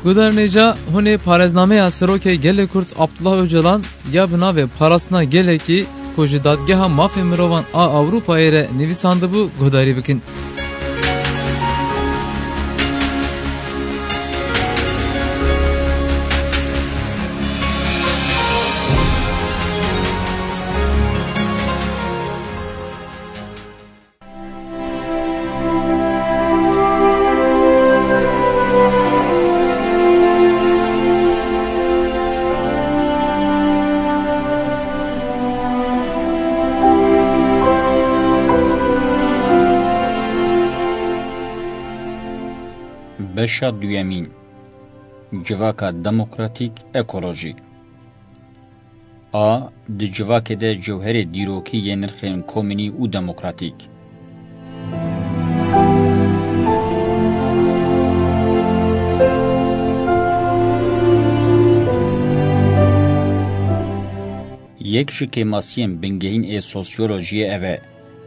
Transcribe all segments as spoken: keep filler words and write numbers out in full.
Guhdarên hêja, hûn ê parêznameya Serokê Gelê Kurd Abdullah Ocalan ya bi navê Parastina Gelekî ku ji Dadgeha Mafê Mirovan a Ewropayê re nivîsandibû guhdarî bikin. Beşa duyemîn. Civaka demokratîk, ekolojîk. A. Di civakê de cewherê dîrokî yê nirxên komînî û demokratîk. Yek ji kêmasiyên bingehîn ê sosyolojiyê ev e.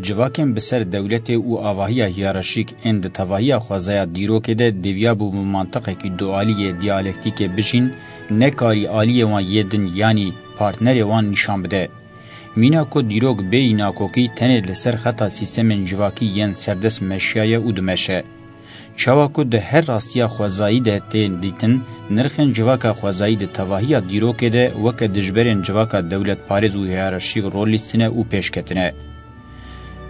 Civakên bi ser dewletê û avahiya hiyerarşîk ên di tevahiya xwezaya dîrokê de diviyabû bi mantiqekî dualî yê diyalektîkê bijîn, nekarî aliyê wan yê din yanî partnerê wan nîşan bide. Mîna ku dîrok bêyî nakokî tenê li ser xeta sîstemên civakî yên serdest meşiyaye û dimeşe. Çawa ku di her rastiya xwezayî de tên dîtin, nirxên civaka xwezayî di tevahiya dîrokê de weke dijberên civaka dewletparêz û hiyerarşîk rol lîstine û pêş ketine.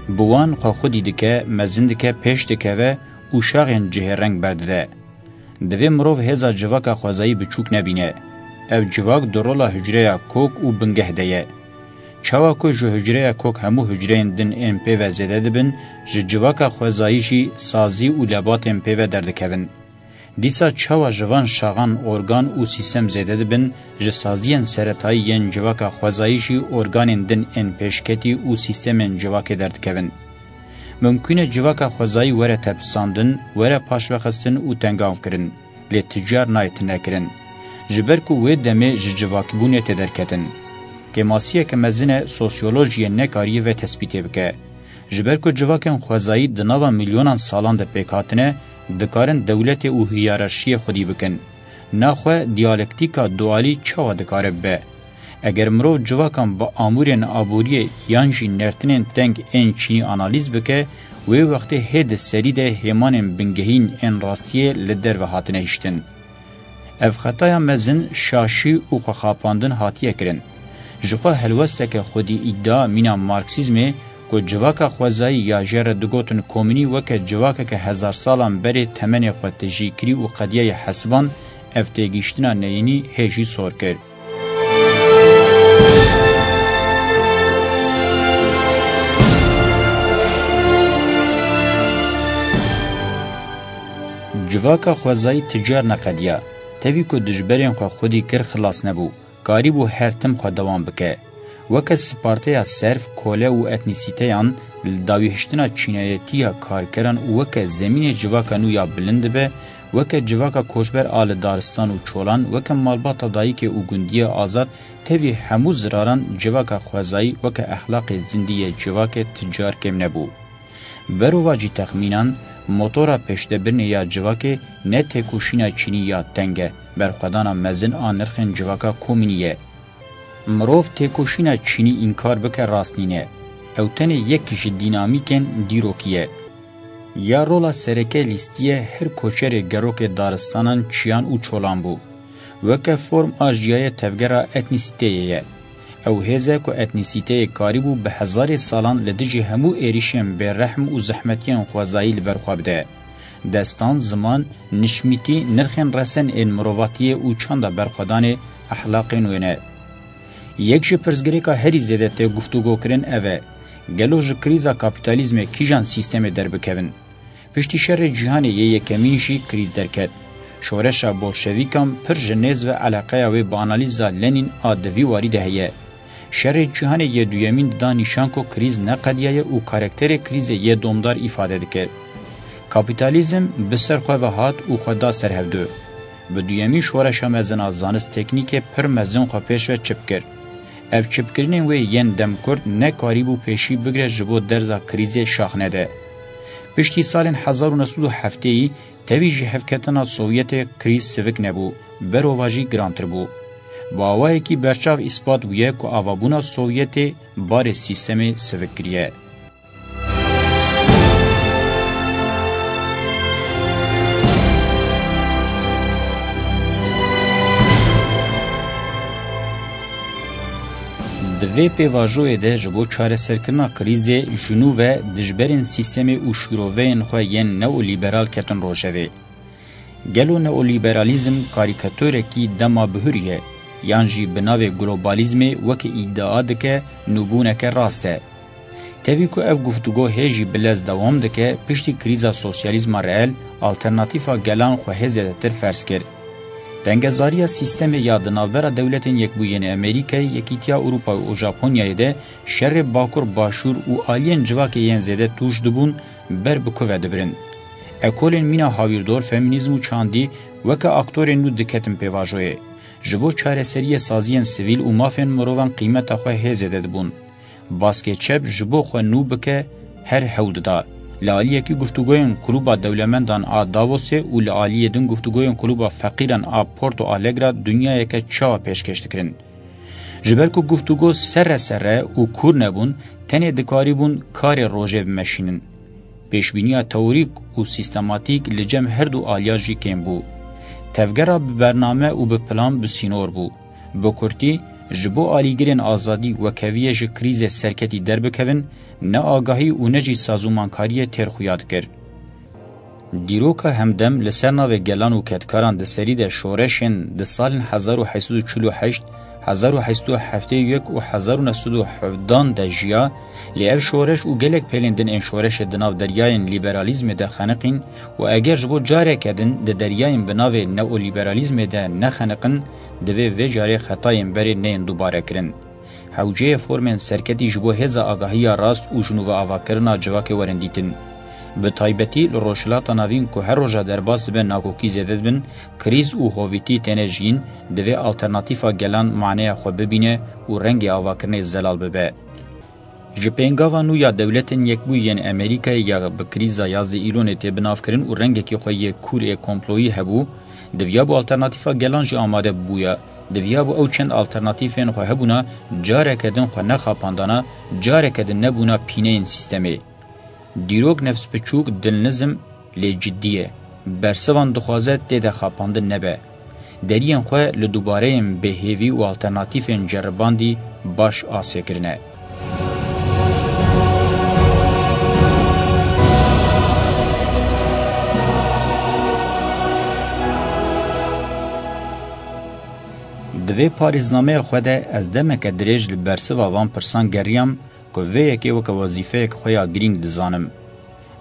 Bi wan xwe xwedî dike, mezin dike, pêş dikeve û şaxên cihê reng berdide. Divê mirov hêza civaka xwezayî biçûk nebîne. Ev civak di rola hucreya kok û bingeh de ye. Çawa ku ji hucreya kok hemû hucreyên din ên pê ve zêde dibin, ji civaka xwezayî jî sazî û lebatên pê ve derdikevin. Dîsa çawa ji van şaxan organ û sîstem zêde dibin, ji saziyên seretayî yên civaka xwezayî jî organên din ên pêşketî û sîstemên civakê derdikevin. Mimkûn e civaka xwezayî were tepisandin, were paşvexistin û tengavkirin, lê ti car nayê tinekirin. Ji ber ku wê demê ji civakbûnê tê derketin. Kêmasiyeke mezin e sosyolojiyê nekariyê vê tespîtê bike. Ji ber ku civakên xwezayî di nava milyonan salan de pêk hatine, dikarin dewletê û hiyerarşiyê xwedî bikin. Naxwe diyalektîka dualî çawa dikare bibe? Eger mirov civakan bi amûrên aboriyê yan jî nertinên teng ên çînî analîz bike, wê wextê hê di serî de hêmanên bingehîn ên rastiyê li derve hatine hiştin. Ev xetaya mezin, şaşî û xwexapandin hatiye kirin. Jixwe helwesteke xwedî îdia mîna Marksîzmê ku civaka xwezayî ya jê re digotin komînî weke civakeke hezarsalan berê temenê xwe tijî kirî û qediyayê hesiband, ev têgihiştina neyînî hê jî sor kir. Civaka xwezayî ti car neqediya. Tevî ku dijberên xwe xwedî kir, xilas nebû. Karîbû her tim xwe dewam bike. Weke sparteya serf, kole û etnîsîteyan li dawîhiştina çînayetiya karkeran û weke zemînê civaka nû ya bilind dibe, weke civaka koçber a li daristan û çolan, weke malbata dayikê û gundiyê azad, tevî hemû ziraran civaka xwezayî weke exlaqê zindî yê civakê ti car kêm nebû. Berovajî texmînan, motora pêşdebirinê ya civakê ne têkoşîna çînî ya teng e, berxwedana mezin a nirxên civaka komînî ye. Mirov têkoşîna çînî înkar bike rast nîne. Ew tenê yek ji dînamîkên dîrokî ye. Ya rola sereke lîstiye her koçerê gerokê daristanan, çiyan û çolan bû. Weke form a jiyayê tevgera etnîsîteyê ye. Ew hêz e ku etnîsîteyê karîbû bi hezarê salan li dijî hemû êrîşên bêrehm û zehmetiyên xwezayî li ber xwe bide. Destan, ziman, nişmîtî, nirxên resen ên mirovatiyê û çanda berxwedanê exlaqên wê ne. Yek ji pirsgirêka herî zêde tê guftûgokirin ev e, gelo ji krîza kapîtalîzmê kîjan sîstemê derbikevin? Piştî Şerê Cîhanê yê Yekemîn jî krîz derket. Şoreşa bolşevîkan pir ji nêz ve eleqeya wê bi analîza Lenîn a di vî warî de heye. Şerê Cîhanê yê Duyemîn dida nîşan ku krîz ne qediyaye û karakterê krîzê yê domdar îfade dike. Kapîtalîzm bi ser xwe ve hat û xwe da ser hevdu. Bi duyemîn şoreşa mezin a zanist teknîkê pir mezin xwe pêş ve çip kir. Ev çipkirinên wê yên demkurt nekarîbû pêşî bigire ji bo derza krîzê şax nede. Piştî salên hezar û neh sed û heftêyî tevî ji hevketina Sovyetê krîz sivik nebû, berovajî girantir bû. Bi awayekî berçav îspat bûye ku avabûna Sovyetê barê sîstemê sivik kiriye. Di vê pêvajoyê de ji bo çareserkirina krîzê ji nû ve dijberên sîstemê û şîroveyên xwe yên neolîberal ketin rojevê. Gelo neolîberalîzm karîkaturekî dema bihurî ye, yan jî bi navê globalîzmê weke îdia dike nûbûneke rast e? Tevî ku ev guftûgo hê jî bi lez dewam dike, piştî krîza sosyalîzma reel, alternatîfa gelan xwe hê zêdetir ferz kir. Tengezariya sîstemê ya di navbera Dewletên Yekbûyî yên Amerîkayê, Yekîtiya Ewropa û Japonyayê de şerê Bakur Başûr û aliyên civakê yên zêde tûj dibûn, ber bi ku ve dibirin. Ekolên mîna hawîrdor, femînîzm û çandî weke aktorên nû diketin pêvajoyê. Ji bo çareseriyê saziyên sivîl û mafên mirovan qîmeta xwe hê zêde dibûn. Baskê çep ji bo xwe nû bike her hewl dida. Li aliyekî guftûgoyên Klûba Dewlemendan a Davosê û li aliyê din guftûgoyên Klûba Feqîran a Porto Alegre dinyayeke çawa pêşkêş dikirin. Ji ber ku guftûgo serre serre û kûr nebûn, tenê dikarîbûn karê rojê bimeşînin. Pêşbîniya teorîk û sîstematîk li cem her du aliyan jî kêm bû. Tevgera bi bername û bi plan bi sînor bû. Bi kurtî, ji bo alîgirên azadî û wekeviyê ji krîzê serketî derbikevin, ne agahî û ne jî sazûmankariyê têr xuya dikir. Dîroka hemdem li ser navê gelan û kedkaran di serî de şoreşên di salên hezar û heşt sed û çil û heşt, hezar û heşt sed û heftê û yek û hezar û neh sed û hevdan de jiya, lê ev şoreş û gelek pêlên din ên şoreşê di nav deryayên lîberalîzmê de xeniqîn û eger ji bo careke din di deryayên bi navê neolîberalîzmê de nexeniqin, divê vê carê xetayên berê neyên dubare kirin. Hewceyê formên serketî ji bo hêza agahiya rast û ji nû ve avakirina civakê werin dîtin. Bi taybetî li Rojhilata Navîn ku her roja derbas dibe nakokî zêde dibin, krîz û hovîtî têne jiyîn, divê alternatîfa gelan maneya xwe bibîne û rengê avakirinê zelal bibe. Ji pêngava nû ya Dewletên Yekbûyî yên Amerîkayê ya bi krîza yazdeh Îlonê tê binavkirin û rengekî xwe yê kûr ê komployî hebû, diviyabû alternatîfa gelan jî amade bibûya. Diviyabû ew çend alternatîfên xwe hebûna careke din xwe nexapandana, careke din nebûna pîneyên sîstemê. Dîrok nefsbiçûk, dilnizm, lê cidî ye. Bersivan dixwaze tê de xapandin nebe. Deriyên xwe li dubareyên bêhêvî û alternatîfên ceribandî baş asê kirine. Di vê parêznameya xwe de ez demeke dirêj li bersiva van pirsan geriyam ku vê yekê weke wezîfeyek xwe ya girîng dizanim.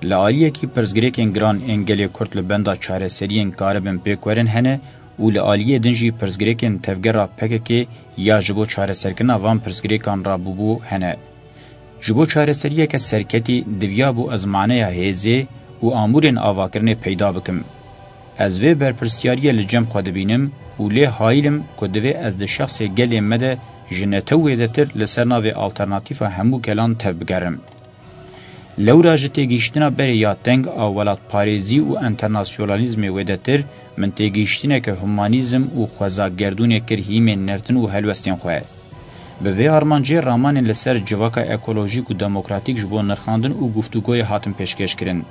Li aliyekî pirsgirêkên giran ên gelê Kurd li benda çareseriyên karibin pêk werin hene û li aliyê din jî pirsgirêkên tevgera P K K ya ji bo çareserkirina van pirsgirêkan rabûbû hene. Ji bo çareseriyeke serketî diviyabû ez maneya hêzê û amûrên avakirinê peyda bikim. Ez vê berpirsiyariyê li cem xwe dibînim û lê hayîl im ku divê ez di şexsê gelê me de ji netew wêdetir li ser navê alternatîfa hemû gelan tevbigerim. Lewra ji têgihiştina berê ya teng a welatparêzî û enternasyonalîzmê wêdetir, min têgihiştineke humanîzm û xweza gerdûnê kir hîmên nertin û helwestên xwe. Bi vê armancê ramanên li ser civaka ekolojîk û demokratîk ji bo nirxandin û guftûgoyê hatin pêşkêşkirin.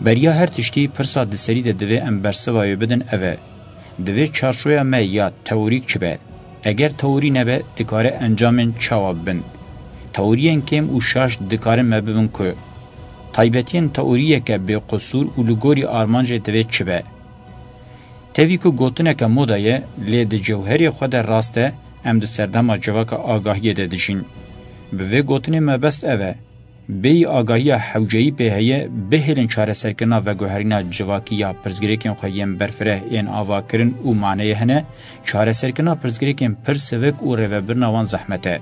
Beriya her tiştî, pirsa di serî de divê em bersiva wê bidin ev e: divê çarçoya me ya teorîk çi be? Eger teorî nebe, dikare encamên çawa bibin? Teoriyên kêm û şaş dikarin me bibin ku? Taybetiyên teoriyeke bêqusûr û li gorî armancê divê çi be? Tevî ku gotineke moda ye, lê di cewherê xwe de rast e, em di serdema civaka agahiyê de dijîn. Bi vê gotinê mebest ev e: bêyî agahiya hewceyî pê heye, bihêlin çareserkirina veguherîna civakî ya pirsgirêkên xwe yên berfireh ên avakirin û maneyê hene, çareserkirina pirsgirêkên pir sivik û rêvebirina wan zehmet e.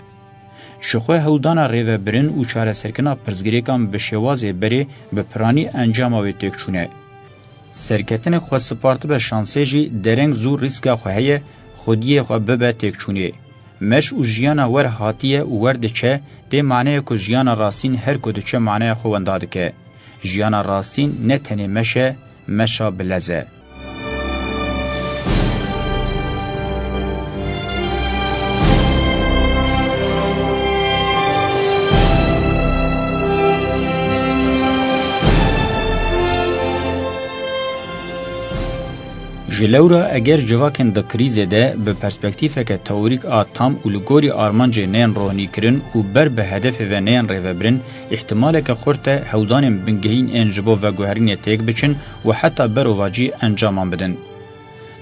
Jixwe hewldana rêvebirin û çareserkirina pirsgirêkan bi şêwazê berê bi piranî encama wê têkçûn e. Serketinek xwe spartibe şansê jî dereng zû rîska xwe heye xwediyê xwe bibe têkçûnê. Meş û jiyana wer hatiye û wer diçe, tê maneya ku jiyana rastîn her ku diçe maneya xwe wenda dike. Jiyana rastîn ne tenê meş e, meşa bilez e. Ji lewra eger civakên di krîzê de bi perspektîfeke teorîk a tam û li gorî armancê neyên rohnîkirin û ber bi hedefê ve neyên rêvebirin, îhtimaleke xurt e hewdanên bingehîn ên ji bo veguherînê têk biçin û heta berovajî encaman bidin.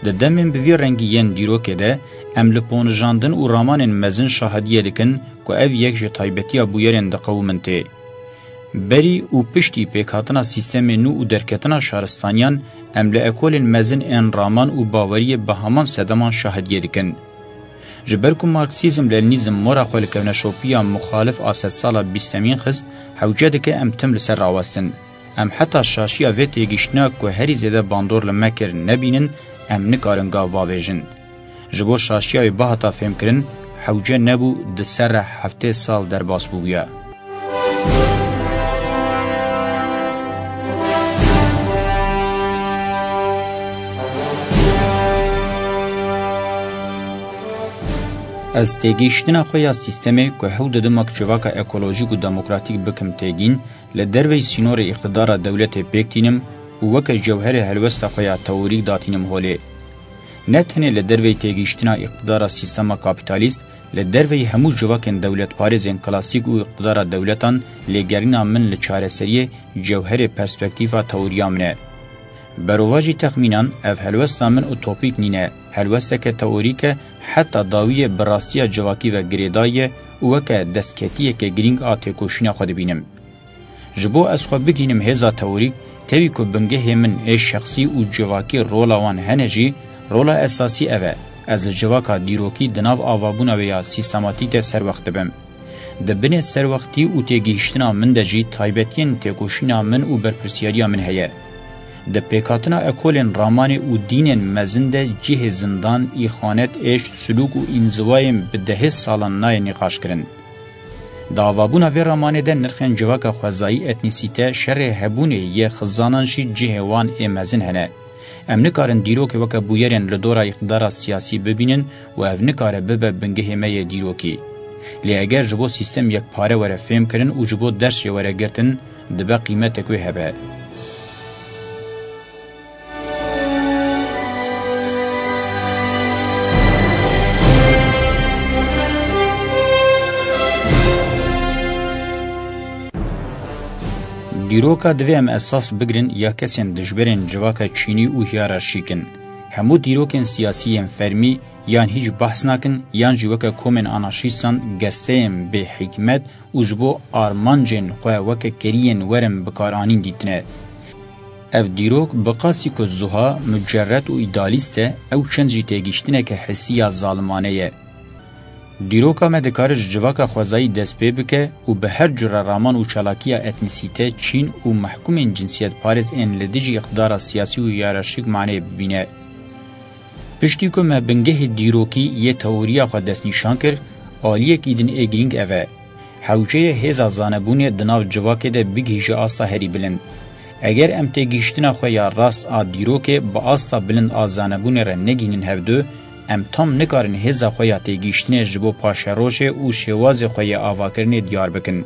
Di demên bi vî rengî yên dîrokê de, em li ponijandin û ramanên mezin şahidiyê dikin ku ev yek ji taybetiya bûyerên diqewimin tê. Berî û piştî pêkhatina sîstemê nû û derketina şaristaniyan, em li ekolên mezin ên raman û baweriyê bi heman sedeman şahidiyê dikin. Ji ber ku Marksîzm-Lenînîzm mora xwe li kevneşopiya muxalif a sedsala bîstemîn xist, hewce dike em tim li ser rawestin. Em heta şaşiya vê têgihiştina ku herî zêde bandor li me kir nebînin, em nikarin gav bavêjin. Ji bo şaşiya wê bihata fêmkirin, hewce nebû di ser re heftê sal derbas bûbûya. Ez têgihiştina xwe ya sîstemê ku hew didim wek civaka ekolojîk û demokratîk bikim têgîn, li derveyî sînorê îqtidara dewletê pêk tînim û weke cewherê helwesta xwe ya teorîk datînim holê. Ne tenê li derveyî têgihiştina îqtidara sîstema kapîtalîst, li derveyî hemû civakên dewletparêzên klasîk û îqtidara dewletan lêgerîna min li çareseriyê cewherê perspektîfa teoriya min e. Berovajî texmînan ev helwesta min utopîk nîne, helwesteke teorîk e, heta dawiyê bi rastiya civakî ve girêdayî ye û weke destketiyeke girîng a têkoşîna xwe dibînim. Ji bo ez xwe bigihînim hêza teorîk, tevî ku bingehê min ê şexsî û civakî rola wan hene jî, rola esasî ev e, ez li civaka dîrokî di nav avabûna wê ya sîstematîk de serwext dibim. Di binê serwextî û têgihiştina min de jî taybetiyên têkoşîna min û berpirsiyariya min heye. Di pêkhatina ekolên ramanê û dînên mezin de cihê zindan, îxanet, êşt, silûk û înziwayên bi dehê salan nayê nîqaşkirin. Di avabûna vê ramanê de nirxên civaka xwezayî, etnîsîte, şerê hebûnê yê xizanan jî cihê wan ê mezin hene. Em nikarin dîrokê weke bûyerên li dora îqtidara siyasî bibînin û ev nikare bibe bingehê me yê dîrokî. Lê eger ji bo sîstem yekpare were fêmkirin û ji bo ders jê were girtin, dibe qîmetek wê hebe. Dîroka divê em esas bigirin ya kesên dijberên civaka çînî û hiyerarşîk in. Hemû dîrokên siyasî yên fermî yan hîç behs nakin, yan jî weke komên anarşîstan gerseyên bêhikmet û ji bo armancên xwe weke keriyên werin bikaranîn dîtine. Ev dîrok bi qasî ku zuha, mucerred û îdealîst e, ew çend jî têgihiştineke hissî ya zalimane ye. Dîroka me dikare ji civaka xwezayî dest pê bike û bi her cure raman û çalakiya etnîsîte, çîn û mehkûmên cinsiyetparêz ên li dijî îqtidara siyasî û hiyerarşîk maneyê bibîne. Piştî ku me bingehê dîrokî yê teoriya xwe destnîşan kir, aliyekî din ê girîng ev e. Hewceyê hêza zanebûnê di nav civakê de bigihîje asta herî bilind. Eger em têgihiştina xwe ya rast a dîrokê bi asta bilind a zanebûnê re negihînin hevdu, em tam nikarin hêza xwe ya têgihiştinê ji bo paşerojê û şêwazê xwe yê avakirinê diyar bikin.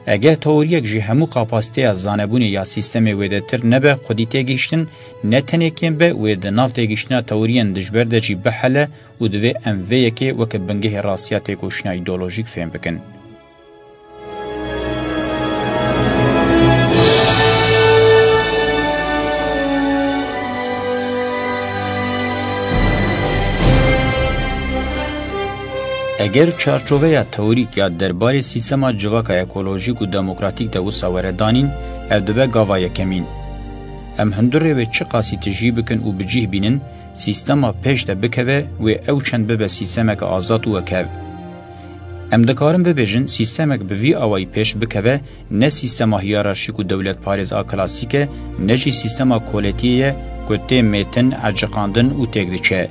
Eger teoriyek ji hemû kapasiteya zanebûnê ya sîstemê wêdetir nebe xwedî têgihiştin, ne tenê kêm be, wê di nav têgihiştina teoriyên dijber de jî bihele û divê em vê yekê weke bingehê rastiya têkoşîna îdeolojîk fêm bikin. Eger çarçoveya teorîk ya derbarê sîstema civaka ekolojîk û demokratîk de wisa were danîn, ev dibe gava yekemîn. Em hundirê wê çiqasî tijî bikin û bi cih bînin, sîstema pêş de bikeve, wê ew çend bibe sîstemeke azad û wekhev. Em dikarin bibêjin, sîstemek bi vî awayî pêş bikeve, ne sîstema hiyerarşîk û dewletparêz a klasîk e, ne jî sîstema koletiyê ye ku tê mêtin, eciqandin û têk diçe.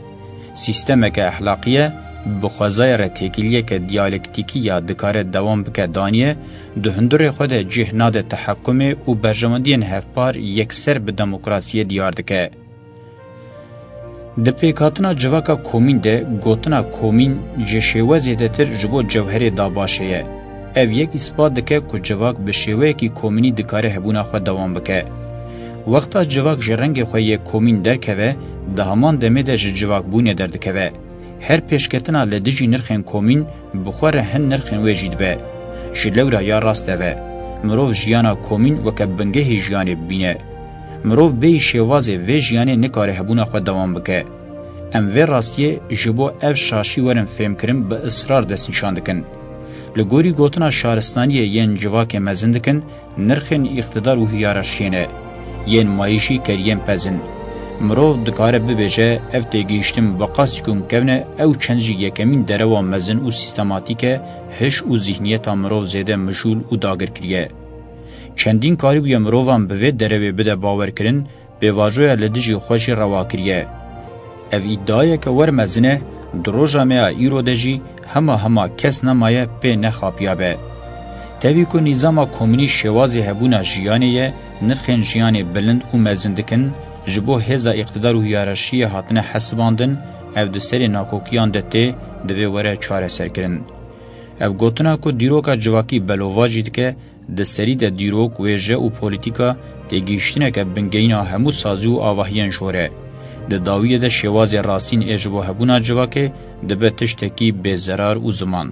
Sîstemeke exlaqî ye, Bi xwezaya re têkiliyeke diyalektîkî ya dikare dewam bike daniye, di hundirê xwe de cih nade tehekumê û berjewendiyên hevpar yekser bi demokrasiyê diyar dike. Di pêkhatina civaka komîn de gotina komîn ji şêwe zêdetir ji bo cewherê dabaşe ye. Ev yek îspat dike ku civak bi şêweyekî komînî dikare hebûna xwe dewam bike. Wexta civak ji rengê xwe yê komîn derkeve, di heman demê de ji civakbûnê derdikeve. Her pêşketina li dijî nirxên komîn bi xwe re hin nirxên wê jî dibe. Ji lewra ya rast ev e. Mirov jiyana komîn weke bingehê jiyanê bibîne. Mirov bêyî şêwazê vê jiyanê nikare hebûna xwe dewam bike. Em vê rastiyê ji bo ev şaşî werin fêmkirin bi israr destnîşan dikin. Li gorî gotina şaristaniyê yên civakê mezin dikin, nirxên îqtidar û hiyerarşiyê ne. Yên mayî jî keriyên pez in. Mirov dikare bibêje, ev têgihiştin bi qasî ku kevn e, ew çend jî yekemîn derewa mezin û sîstematîk e, hiş û zîhniyeta mirov zêde mijûl û dagir kiriye. Çendîn karîbûye mirovan bi vê derewê bide bawerkirin, pêvajoya li dijî xwe jî rewa kiriye. Ev îdiayeke wer mezin e, di roja me ya îro de jî hema hema kes nemaye pê nexapiyabe. Tevî ku nîzama komînî şêwazê hebûna jiyanê ye, nirxên jiyanê bilind û mezin dikin, ji bo hêza îqtidar û hiyerarşiyê hatine hesibandin, ev di serê nakokiyan de tê, divê were çareserkirin. Ev gotina ku dîroka civakî belovajî dike, di serî de dîrok, wêje û polîtîka têgihiştineke bingehîna hemû sazî û avahiyên jor e. Di dawiyê de şêwazê rastîn ê ji bo hebûna civakê dibe tiştekî bêzerar û ziman.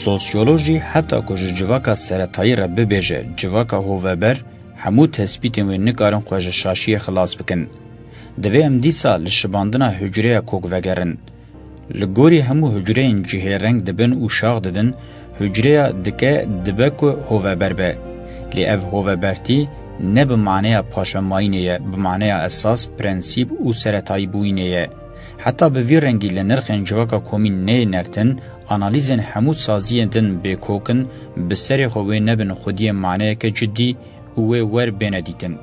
Sosyolojî heta ku ji civaka seretayî re bibêje civaka hoveber, hemû tespîtên wê nikarin xwe ji şaşiyê xilas bikin. Divê em dîsa li şibandina hucreya kok vegerin. Li gorî hemû hucreyên cihê reng dibin û şax didin, hucreya dike dibe ku hoveber be. Lê ev hovebertî ne bi maneya paşemayînê ye, bi maneya esas, prensîp û seretayîbûyînê ye. Heta bi vî rengî li nirxên civaka komîn neyê nertin, analîzên hemû saziyên din bêkok in, bi serê xwe wê nebin xwediyê maneyeke cidî û wê wer bêne dîtin.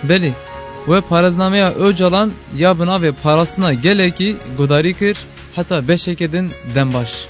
Belê, we parêznameya Ocalan ya bi navê Parastina Gelekî guhdarî kir, heta beşeke din dem baş.